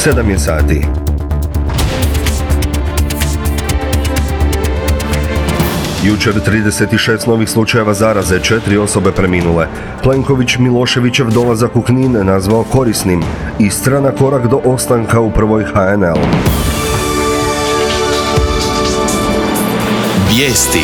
7 je sati. Jučer 36 novih slučajeva zaraze, 4 osobe preminule. Plenković Miloševićev dolazak u Knin nazvao korisnim. Istra na korak do ostanka u prvoj HNL. Vijesti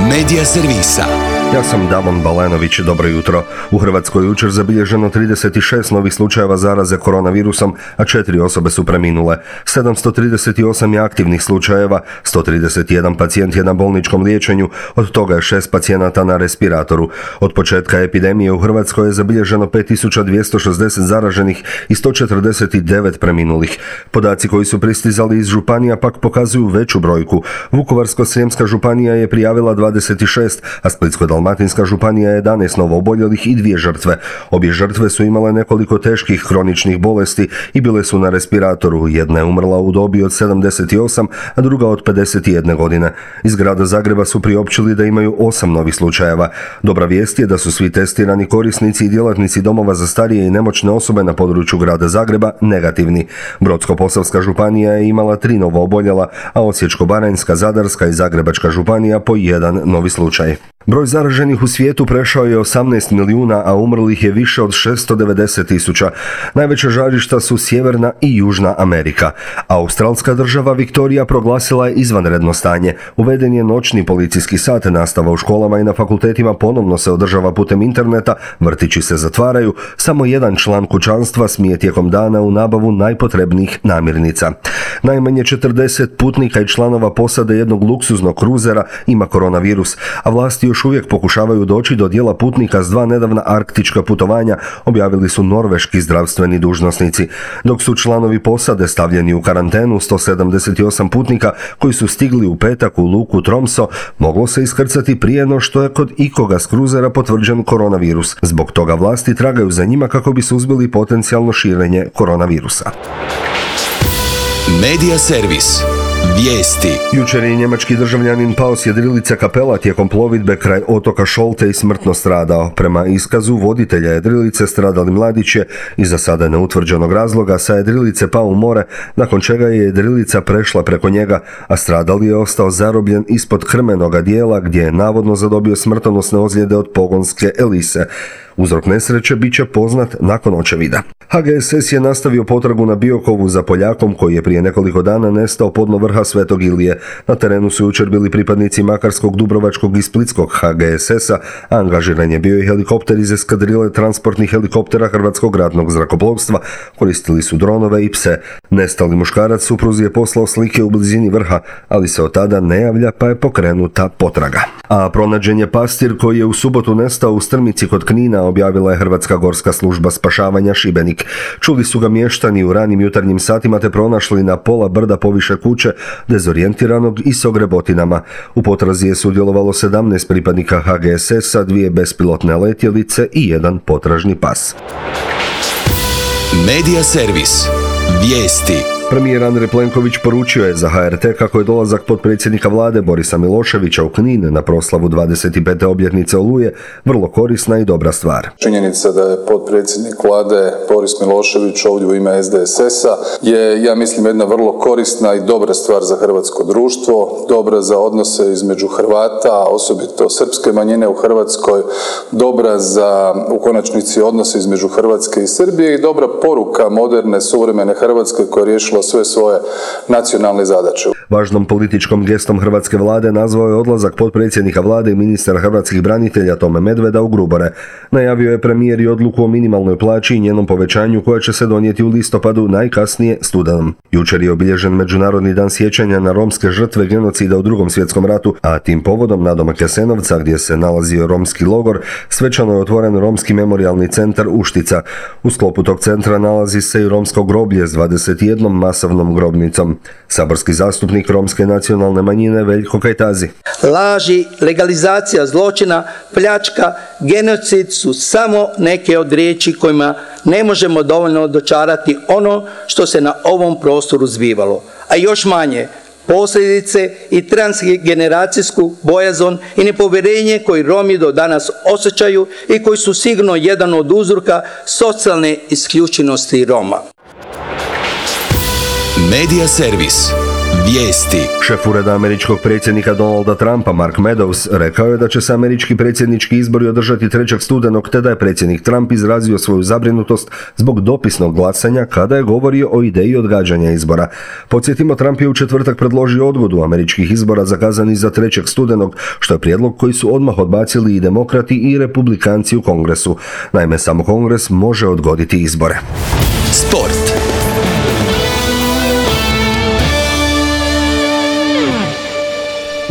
Medija servisa. Ja sam Davon Balenović, dobro jutro. U Hrvatskoj jučer zabilježeno 36 novih slučajeva zaraze koronavirusom, a 4 osobe su preminule. 738 je aktivnih slučajeva, 131 pacijent je na bolničkom liječenju, od toga je 6 pacijenata na respiratoru. Od početka epidemije u Hrvatskoj je zabilježeno 5260 zaraženih i 149 preminulih. Podaci koji su pristizali iz županija pak pokazuju veću brojku. Vukovarsko-srijemska županija je prijavila 26, a Splitsko-dalmatinska županija 11 novooboljelih i 2 žrtve. Obje žrtve su imale nekoliko teških kroničnih bolesti i bile su na respiratoru. Jedna je umrla u dobi od 78, a druga od 51 godine. Iz grada Zagreba su priopćili da imaju 8 novih slučajeva. Dobra vijest je da su svi testirani korisnici i djelatnici domova za starije i nemoćne osobe na području grada Zagreba negativni. Brodsko-posavska županija je imala 3 novooboljela, a Osječko-baranjska, Zadarska i Zagrebačka županija po 1 novi slučaj. Broj zaraženih u svijetu prešao je 18 milijuna, a umrlih je više od 690 tisuća. Najveća žarišta su Sjeverna i Južna Amerika. Australska država Viktorija proglasila je izvanredno stanje. Uveden je noćni policijski sat, nastava u školama i na fakultetima ponovno se održava putem interneta, vrtići se zatvaraju, samo jedan član kućanstva smije tijekom dana u nabavu najpotrebnijih namirnica. Najmanje 40 putnika i članova posade jednog luksuznog kruzera ima koronavirus, a vlasti još uvijek pokušavaju doći do dijela putnika s 2 nedavna arktička putovanja, objavili su norveški zdravstveni dužnosnici. Dok su članovi posade stavljeni u karantenu, 178 putnika koji su stigli u petak u luku Tromso moglo se iskrcati prije no što je kod ikoga s kruzera potvrđen koronavirus. Zbog toga vlasti tragaju za njima kako bi suzbili potencijalno širenje koronavirusa. Medija servis. Vijesti. Jučer je njemački državljanin pao s jedrilice Kapela tijekom plovidbe kraj otoka Šolte i smrtno stradao. Prema iskazu voditelja jedrilice stradali mladić je iz za sada neutvrđenog razloga sa jedrilice pao u more, nakon čega je jedrilica prešla preko njega, a stradali je ostao zarobljen ispod krmenoga dijela gdje je navodno zadobio smrtonosne ozljede od pogonske elise. Uzrok nesreće bit će poznat nakon očevida. HGSS je nastavio potragu na Biokovu za Poljakom koji je prije nekoliko dana nestao podno vrha Svetog Ilije. Na terenu su jučer bili pripadnici Makarskog, Dubrovačkog i Splitskog HGSS-a, a angažiran je bio i helikopter iz eskadrile transportnih helikoptera Hrvatskog ratnog zrakoplovstva, koristili su dronove i pse. Nestali muškarac supruzi je poslao slike u blizini vrha, ali se od tada ne javlja pa je pokrenuta potraga. A pronađen je pastir koji je u subotu nestao u Strmici kod Knina, objavila je Hrvatska gorska služba spašavanja Šibenik. Čuli su ga mještani u ranim jutarnjim satima te pronašli na pola brda poviše kuće, dezorijentiranog i s ogrebotinama. U potrazi je sudjelovalo 17 pripadnika HGSS-a, 2 bespilotne letjelice i 1 potražni pas. Medija servis. Vijesti. Premijer Andrej Plenković poručio je za HRT kako je dolazak potpredsjednika vlade Borisa Miloševića u Knin na proslavu 25. obljetnice Oluje vrlo korisna i dobra stvar. Činjenica da je potpredsjednik vlade Boris Milošević ovdje u ime SDSS-a je, ja mislim, jedna vrlo korisna i dobra stvar za hrvatsko društvo, dobra za odnose između Hrvata, osobito srpske manjine u Hrvatskoj, dobra za, u konačnici, odnose između Hrvatske i Srbije i dobra poruka moderne, suvremene Hrvatske koja je riješila sve svoje nacionalne zadaće. Važnom političkom gestom hrvatske vlade nazvao je odlazak potpredsjednika vlade i ministra hrvatskih branitelja Tome Medveda u Grubore. Najavio je premijer i odluku o minimalnoj plaći i njenom povećanju koja će se donijeti u listopadu, najkasnije studenom. Jučer je obilježen Međunarodni dan sjećanja na romske žrtve genocida u Drugom svjetskom ratu, a tim povodom nadomak Jasenovca, gdje se nalazio romski logor, svečano je otvoren Romski memorijalni centar Uštica. U sklopu tog centra nalazi se i romsko groblje s 21 masovnom grobnicom. Saborski zastupnik romske nacionalne manjine Veljko Kajtazi. Laži, legalizacija zločina, pljačka, genocid su samo neke od riječi kojima ne možemo dovoljno dočarati ono što se na ovom prostoru zbivalo, a još manje posljedice i transgeneracijsku bojazan i nepovjerenje koji Romi do danas osjećaju i koji su sigurno jedan od uzroka socijalne isključenosti Roma. Medija servis. Vijesti. Šef ureda američkog predsjednika Donalda Trumpa, Mark Meadows, rekao je da će se američki predsjednički izbori održati 3. studenog, te da je predsjednik Trump izrazio svoju zabrinutost zbog dopisnog glasanja kada je govorio o ideji odgađanja izbora. Podsjetimo, Trump je u četvrtak predložio odgodu američkih izbora zakazanih za 3. studenog, što je prijedlog koji su odmah odbacili i demokrati i republikanci u Kongresu. Naime, samo Kongres može odgoditi izbore. Sport.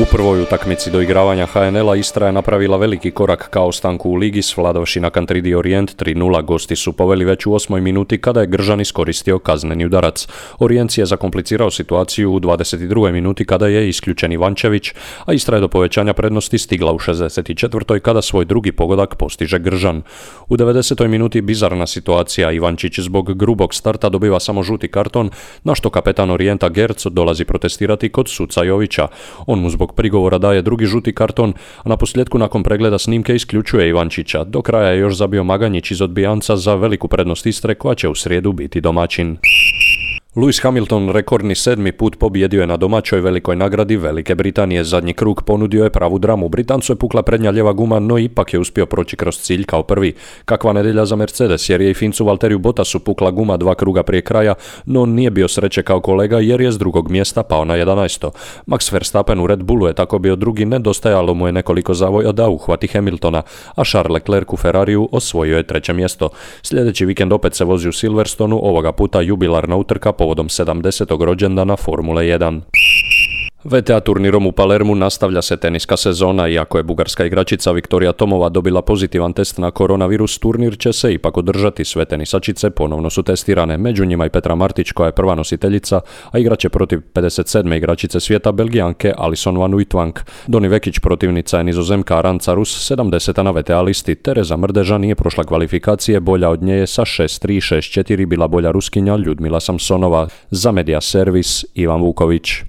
U prvoj utakmici doigravanja HNL-a Istra je napravila veliki korak ka ostanku u ligi, svladavši na Kantridi Orijent 3:0. Gosti su poveli već u 8. minuti kada je Gržan iskoristio kazneni udarac. Orijent je zakomplicirao situaciju u 22. minuti kada je isključen Ivančević, a Istra je do povećanja prednosti stigla u 64. kada svoj drugi pogodak postiže Gržan. U 90. minuti bizarna situacija, Ivančić zbog grubog starta dobiva samo žuti karton, na što kapetan Orijenta Gerc dolazi protestirati kod suca Jovića. On mu zbog prigovora daje drugi žuti karton, a na posljedku nakon pregleda snimke isključuje Ivančića. Do kraja je još zabio Maganjić iz odbijanca za veliku prednost Istre koja će u srijedu biti domaćin. Lewis Hamilton rekordni 7. put pobijedio je na domaćoj velikoj nagradi Velike Britanije. Zadnji krug ponudio je pravu dramu. Britancu je pukla prednja lijeva guma, no ipak je uspio proći kroz cilj kao prvi. Kakva nedjelja za Mercedes, jer je i Fincu Valteriju Bottasu pukla guma 2 kruga prije kraja, no nije bio sreće kao kolega jer je s drugog mjesta pao na 11. Max Verstappen u Red Bullu je tako bio drugi, nedostajalo mu je nekoliko zavoja da uhvati Hamiltona, a Charles Leclerc u Ferrariju osvojio je 3. mjesto. Sljedeći vikend opet se vozi u Silverstonu, ovoga puta jubilarna utrka povodom 70. rođendana Formule 1. VTA turnirom u Palermu nastavlja se teniska sezona. Iako je bugarska igračica Viktorija Tomova dobila pozitivan test na koronavirus, turnir će se ipak održati. Sve tenisačice ponovno su testirane, među njima i Petra Martić koja je prva nositeljica, a igraće protiv 57. igračice svijeta Belgijanke Alison van Uytvanck. Doni Vekić protivnica je Nizozemka Aranca Rus, 70. na VTA listi. Tereza Mrdeža nije prošla kvalifikacije, bolja od nje je sa 6-3, 6-4 bila bolja Ruskinja Ljudmila Samsonova. Za Medija servis Ivan Vuković.